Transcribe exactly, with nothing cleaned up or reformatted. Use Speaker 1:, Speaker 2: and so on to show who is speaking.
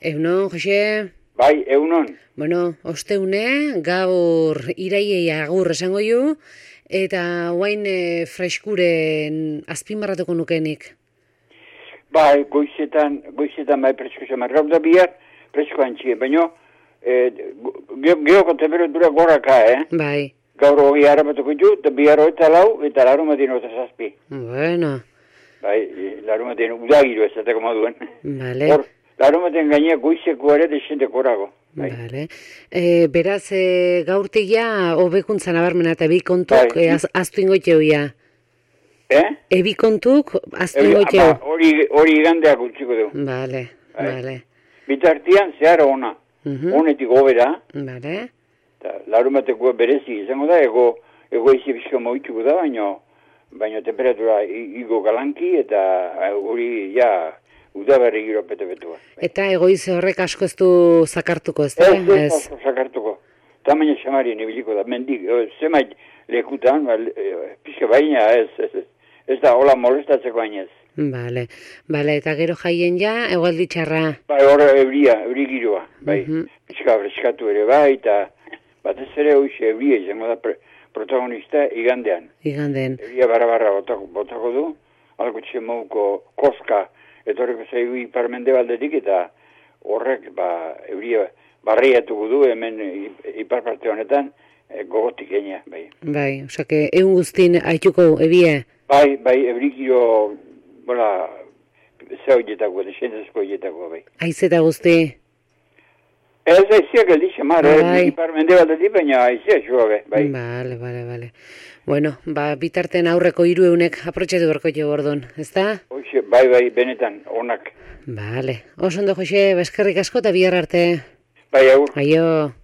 Speaker 1: Egunon, Jose?
Speaker 2: Bai, egunon.
Speaker 1: Bueno, osteune, gaur iraiei agur esango ju, eta guain e, freskuren azpimarratuko nukenik.
Speaker 2: Bai, goizetan, goizetan bai presko zamar. Gaur da bihar presko antxie, baina eh, geoko temperatura goraka, eh?
Speaker 1: Bai.
Speaker 2: Gaur hori harapatuko ju, eta bihar eta lau, eta larumatin eta zazpi.
Speaker 1: Bueno.
Speaker 2: Bai, larumatin udagiru ez eta moduen.
Speaker 1: Vale.
Speaker 2: Hor, larumatin gainea goizeko ere desenteko orago. Bai.
Speaker 1: Vale. E, beraz, e, gaurtik ja, hobekuntza nabarmena eta bi kontuk
Speaker 2: Bai.
Speaker 1: e, az, aztu ingoiteu ja.
Speaker 2: Eh?
Speaker 1: Ebi kontuk aztu
Speaker 2: Ebi-
Speaker 1: ingoiteu.
Speaker 2: ba, Hori hori igandeak utziko du.
Speaker 1: Vale,
Speaker 2: Bai.
Speaker 1: vale.
Speaker 2: Bitartian zehar ona.
Speaker 1: Mhm.
Speaker 2: Honetik hobera.
Speaker 1: Vale.
Speaker 2: Eta larumateko berezi izango da, ego, ego izi bizko moituko da, baina baina temperatura i- igo galanki eta hori ja udaberri giro pete-petua.
Speaker 1: Eta egoize horrek asko ez du zakartuko, ez da?
Speaker 2: Ez, ez, oso sakartuko. Tamaina xamarien ibiliko da, mendik, eh, zemait lekutan, ba, eh, pixka baina ez, ez, ez, ez da, hola molestatzeko baina ez.
Speaker 1: Vale, vale, eta gero jaien ja, egualdi txarra.
Speaker 2: Bai, hor euria, euri giroa, bai,
Speaker 1: Mhm.
Speaker 2: pixka freskatu ere bai, eta batez ere hoxe euria izango da pre- protagonista igandean.
Speaker 1: Iganden.
Speaker 2: Euria barra-barra botako, botako du, alko txemauko koska etorriko zaigu iparmende baldetik, eta horrek ba, euria barriatuko du hemen i- ipar parte honetan e, gogotik enia, bai.
Speaker 1: Bai, osake, egun guztin haituko ebie.
Speaker 2: Bai, bai, eurikio, bola, ze horietako, desentezko horietako, bai.
Speaker 1: Aizeta guzti.
Speaker 2: Ez aiziak eldi xamar,
Speaker 1: Bai.
Speaker 2: eh, iparmende baldetik, baina aizia joa, bai.
Speaker 1: Vale, vale, vale. Bueno, ba, bitarten aurreko hiru eunek aprotxatu berko jo gordon, ezta?
Speaker 2: Hoxe, bai, bai, benetan, onak.
Speaker 1: Vale. Oso ondo, Jose, beskerrik asko eta bihar arte.
Speaker 2: Bai, agur.
Speaker 1: Aio.